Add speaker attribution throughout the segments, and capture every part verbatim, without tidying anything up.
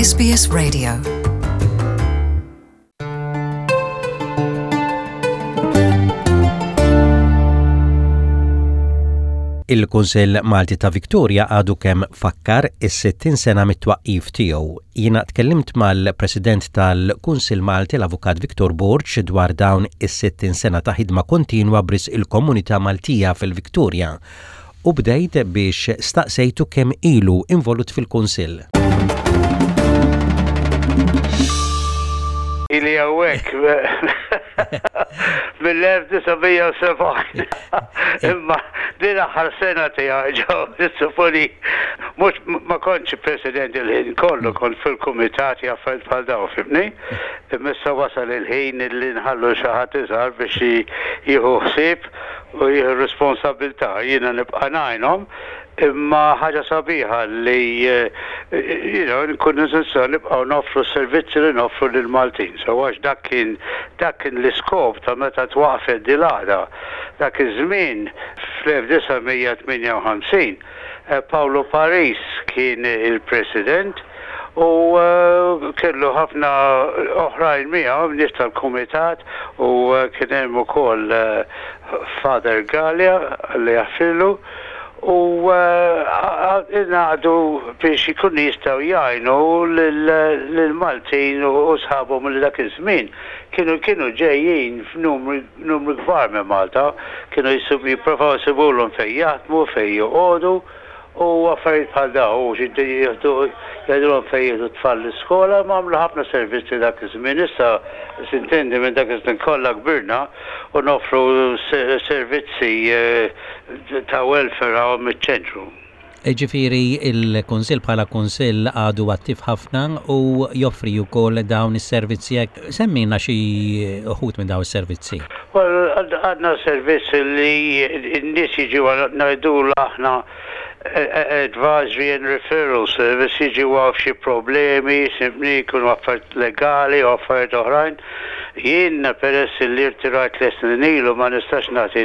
Speaker 1: S B S Radio.
Speaker 2: Il-Kunsill Malti ta' Victoria għadu kemm fakkar is-sittin sena mit-twaqqif tiegħu. Jiena tkellimt mal-President tal-Kunsill Malti, l-Avukat Victor Borg, dwar dawn is-sittin sena ta' ħidma kontinwa b'risq il-komunità Maltija fil-Victoria. U bdejt biex staqsejtu kemm ilu involut fil-Kunsill.
Speaker 3: Ili hawnhekk mill-elf disa' mija u sebgħin. Imma din aħħar sena tiegħi ġew nissuponi mhux ma kontx president il-ħin kollu, kont fil-kumitati, affarijiet bħal dawn, fhimtni. Imma issa wasal il-ħin li nħallu xi ħadd iżgħar biex jieħu ħsieb u jieħu responsabilità. Jiena nibqa' ngħinhom, imma ħaġa sabiħa li you know, nkun nistgħu nibqgħu noffru servizzi li noffru lil Maltin. So għax dak kien dak kien l-iskop ta' meta twaqfet dil-għaqda. Dak iż-żmien fl-elf disa' mija tmienja u ħamsin Paolo Paris kien il-president u kellu ħafna oħrajn miegħu, nies tal-kumitat, u kien hemm ukoll Father Gallia li jaħfirlu, u ingħaqdu biex ikunu jistgħu jgħinu lill-Maltin u sħabhom li dak iż-żmien kienu kienu ġejjin f'numri kbar minn Malta, kienu jipprovaw jsibulhom fejn jaħdmu, fejn joqogħdu u affarijiet bħal dawn, u xi jieħdu jgħidulhom fejn jieħdu tfal l-iskola, ma għamlu ħafna servizzi dak iż-żmien. Issa s'intendi minn dak iż-żmien kollha kbirna u noffru servizzi ta' welfare hawn miċ-ċentru.
Speaker 2: Ġifieri il-Kunsill bħala Kunsill għadu attiv ħafna u joffri wkoll dawn is-servizzi. Semmina xi uħud minn dawn is-servizzi.
Speaker 3: Well, għandna servizzi li n-nies jiġu, ngħidu aħna advisory and referral service, jiġu għal xi problemi, simpli jkunu affarijiet legali u affarijiet oħrajn. Jien peress li rtirajt l ilu ma nistax nagħti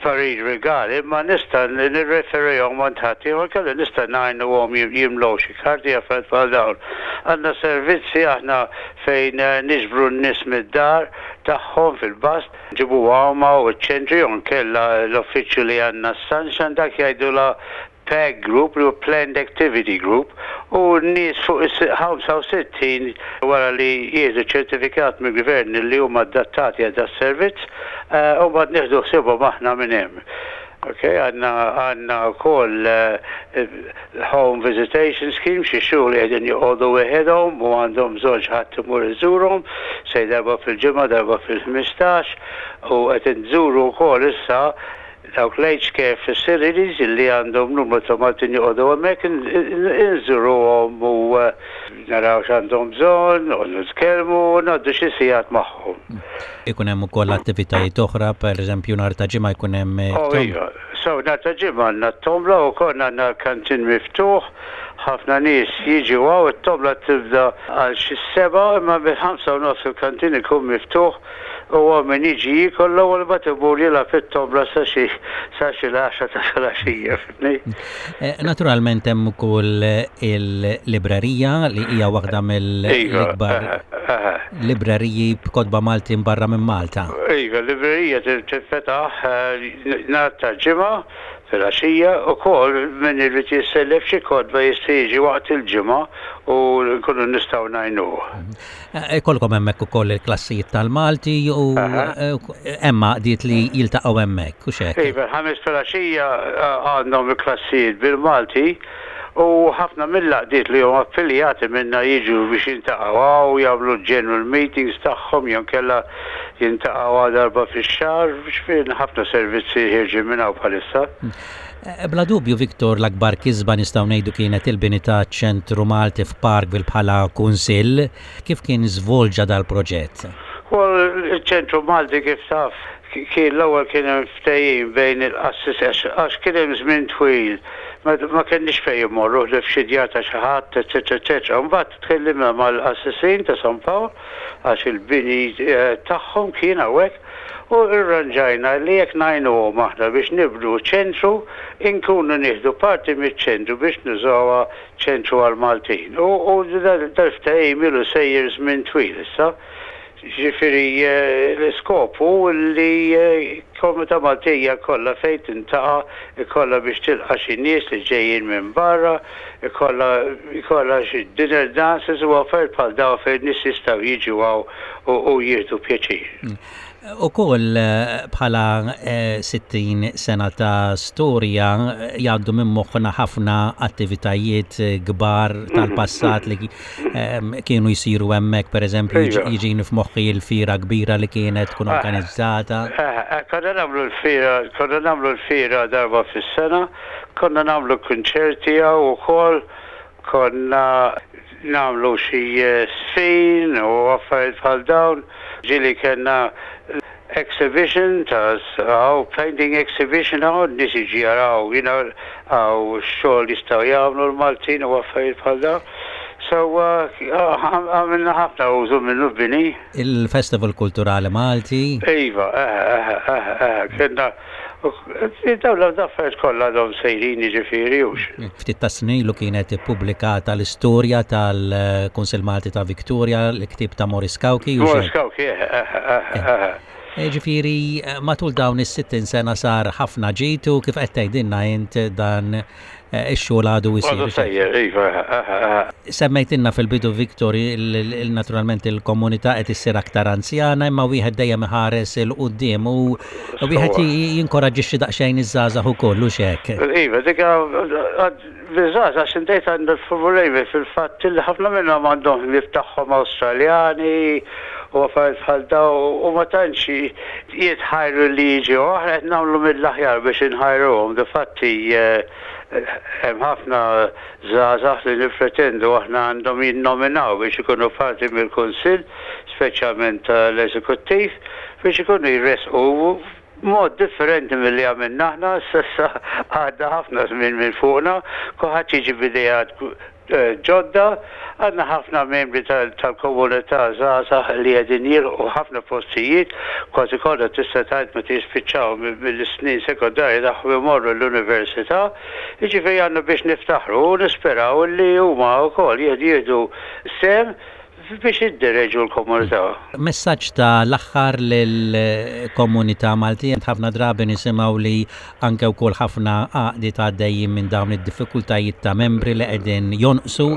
Speaker 3: parir legali, ma nista' nirreferihom għand ħadd, kelli nista' ngħinuhom jimlew xi karti, affarijiet bħal dawn. Għandna servizzi aħna fejn niġbru n-nies mid-dar tagħhom fil-bus, nġibu għawma u ċ-ċentri u nkella l-uffiċċju li għandna Sunshine, dak jgħidula P A G Group, li Planned Activity Group, u n-nies fuq is-ħamsa u sittin wara li jieħdu ċertifikat mill-gvern li huma adattati għal servizz, u mbagħad nieħdu ħsiebhom aħna minn hemm. Ok, għandna għandna wkoll home visitation scheme, xi xhur li qegħdin joqogħdu weħedhom u għandhom bżonn xi ħadd imur iżurhom, sej darba fil-ġimgħa, darba fil-ħmistax, u qed nżuru wkoll issa dawk l-aged care facilities li għandhom numru ta' Maltin joqogħdu hemmhekk, inżuruhom u naraw x'għandhom bżonn, u nitkellmu u ngħaddu xi sigħat magħhom.
Speaker 2: Ikun hemm ukoll attivitajiet oħra, pereżempju nhar ta' Ġimgħa jkun hemm.
Speaker 3: Oh, iva. So nhar ta' Ġimgħa għandna t-tombla u konna għandna l-kantin miftuħ, ħafna nies jiġu hawn, it-tombla tibda għal xi sebgħa, imma bil-ħamsa u nofs il-kantin ikun miftuħ u min jiġi jiekol l-ewwel, mbagħad imur jilgħab fit-tombla sa xi sa xi l-għaxra ta' filgħaxija, fhimtni?
Speaker 2: Naturalment hemm ukoll il-librerija li hija waħda mill-ikbar libreriji b'kotba Maltin barra minn Malta.
Speaker 3: Iva, l-librerija tinfetaħ nhar ta' Ġimgħa filgħaxija ukoll, min irid jissellef xi kotba jista' jiġi waqt il-ġimgħa u nkunu nistgħu ngħinuh.
Speaker 2: Ikollkom hemmhekk ukoll il-klassijiet tal-Malti u hemm għaqdiet li jiltaqgħu hemmhekk u x'hekk.
Speaker 3: Iva, Ħamis filgħaxija għandhom il-klassijiet bil-Malti u ħafna mill-għaqdiet li huma affiljati minna jiġu biex jiltaqgħu u jagħmlu general meetings tagħhom jew kella jiltaqgħu darba fix-xahar, biex ħafna servizzi ħierġin minn hawn bħalissa.
Speaker 2: Bla dubju, Viktor, l-akbar kisba nistgħu ngħidu kienet il-bini ta' ċentru Malti f'Parkville bħala kunsill. Kif kien żvolġa dal-proġett?
Speaker 3: Well, il-ċentru Malti, kif taf, kien l-ewwel kien hemm ftehim bejn il-qassis, għax kien hemm żmien twil Ma kenniex fejn immorru li f'xi djar ta' xi ħadd, eċetera, eċetera. Mbagħad tkellimna mal-qassisin ta' San Pawl għax il-bini eh, tagħhom kien hawnhekk u rranġajna li jekk ngħinuhom aħna biex nibnu ċentru, inkunu nieħdu parti miċ-ċentru biex nużawha ċentru għal-Maltin. U dal-ftehim ilu sejjer żmien twil issa. Ġifieri eh, l-iskop hu li eh, komunità Maltija kollha fejn tiltaqa', ikollha biex tilqa' xi nies li ġejjin minn barra, ikollha ikollha xi dinner dances u affarijiet bħal dawn fejn nies jistgħu jiġu hawn u jieħdu pjaċir.
Speaker 2: Mm. Ukoll eh, bħala sittin sena ta' storja jgħaddu minn moħħna ħafna attivitajiet kbar tal-passat li kienu jsiru hemmhekk, pereżempju jiġini f'moħħi l-fira kbira li kienet tkun organizzata.
Speaker 3: Konna nagħmlu l-fira, konna nagħmlu l-fira darba fis-sena, konna nagħmlu kunċerti ukoll, konna nagħmlu xi żfin u affarijiet bħal dawn, ġieli kellna exhibition ta' għaw painting exhibition għaw nies jiġu jaraw you know għaw xogħol jistgħu jagħmlu l-Maltin u affarijiet bħal dawn. So għamilna ħafna użu minnu bini.
Speaker 2: Il-Festival Kulturali Malti.
Speaker 3: Iva, eh, eh, eh, kellna dawn l-affarijiet kollha għadhom sejrin jiġifieri hux.
Speaker 2: Ftit ta' snin ilu kienet ippubblikata l-istorja tal-Kunsill Malti ta' Victoria, l-ktieb ta' Maurice Cauchi.
Speaker 3: Maurice Cauchi, eh, eh, eh.
Speaker 2: Ġifieri, matul dawn is-sittin sena sar ħafna ġid u kif qed tgħidilna int dan ix-xogħol għadu jsir.
Speaker 3: Għadu sejjer, iva.
Speaker 2: Semmejtilna fil-bidu, Victor, naturalment il-komunità qed issir aktar anzjana imma wieħed dejjem iħares 'il quddiem u wieħed jinkoraġġixxi daqsxejn iż-żgħażagħ ukoll u hekk.
Speaker 3: Iva, dik biż-żgħażagħ x'intejt għandu problemi fil-fatt li ħafna minnhom għandhom ħbieb tagħhom Awstraljani u affarijiet bħal dawn u ma tantx jitħajru li jiġu. Aħna qed nagħmlu mill-aħjar biex inħajruhom. Difatti hemm ħafna żgħażagħ li nippretendu aħna għandhom jinnominaw biex ikunu parti mill-Kunsill, speċjalment tal-Eżekuttiv, biex ikunu jresqu mod differenti mill-li għamilna aħna, s'issa għadda ħafna żmien minn fuqna, kulħadd jiġi b'ideat ġodda, għandna ħafna membri tal-komunità żgħażagħ li qegħdin jilħqu ħafna postijiet, kważi kollha tista' tgħid meta jispiċċaw mill-snin sekondarji tagħhom imorru l-università, jiġifieri għandna biex niftaħru u nisperaw li huma wkoll jieħdu sehem biex jiddireġu l-komunità.
Speaker 2: Messaġġ ta' l-aħħar lill-komunità Maltija, ħafna drabi nisimgħu li anke wkoll ħafna għaqdiet għaddejjin minn dawn id-diffikultajiet ta' membri li qegħdin jonqsu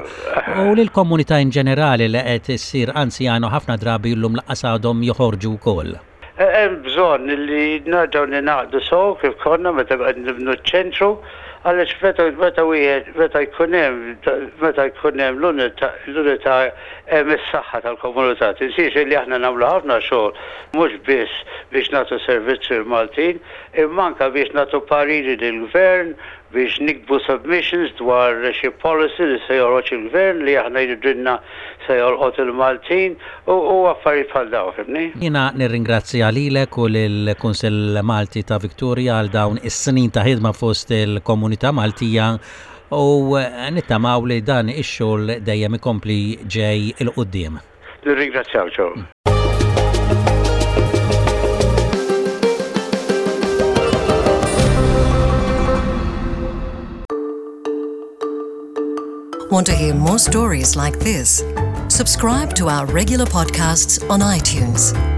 Speaker 2: u lill-komunità in ġenerali li qed issir anzjana ħafna drabi llum lanqas għadhom joħorġu wkoll.
Speaker 3: Hemm bżonn li nerġgħu ningħaqdu sew kif konna meta qed nibnu ċ-ċentru għaliex meta meta wieħed meta jkun hemm meta jkun hemm l-unità hemm is-saħħa tal-komunità. Tinsiex li aħna nagħmlu ħafna xogħol mhux biss biex nagħtu servizzi l-Maltin, imma anke biex nagħtu pariri lill-gvern, biex niktbu submissions dwar xi policy li se joħroġ il-gvern li aħna jridilna se jolqot il-Maltin u affarijiet bħal dawn, fhimtni?
Speaker 2: Jiena nirringrazzja lilek u lill-Kunsill Malti ta' Victoria għal dawn is-snin ta' ħidma fost il-komunità Maltija u nittamaw li dan ix-xogħol dejjem ikompli ġej 'il quddiem.
Speaker 3: Nirringrazzjaw Joe.
Speaker 1: Want to hear more stories like this? Subscribe to our regular podcasts on iTunes.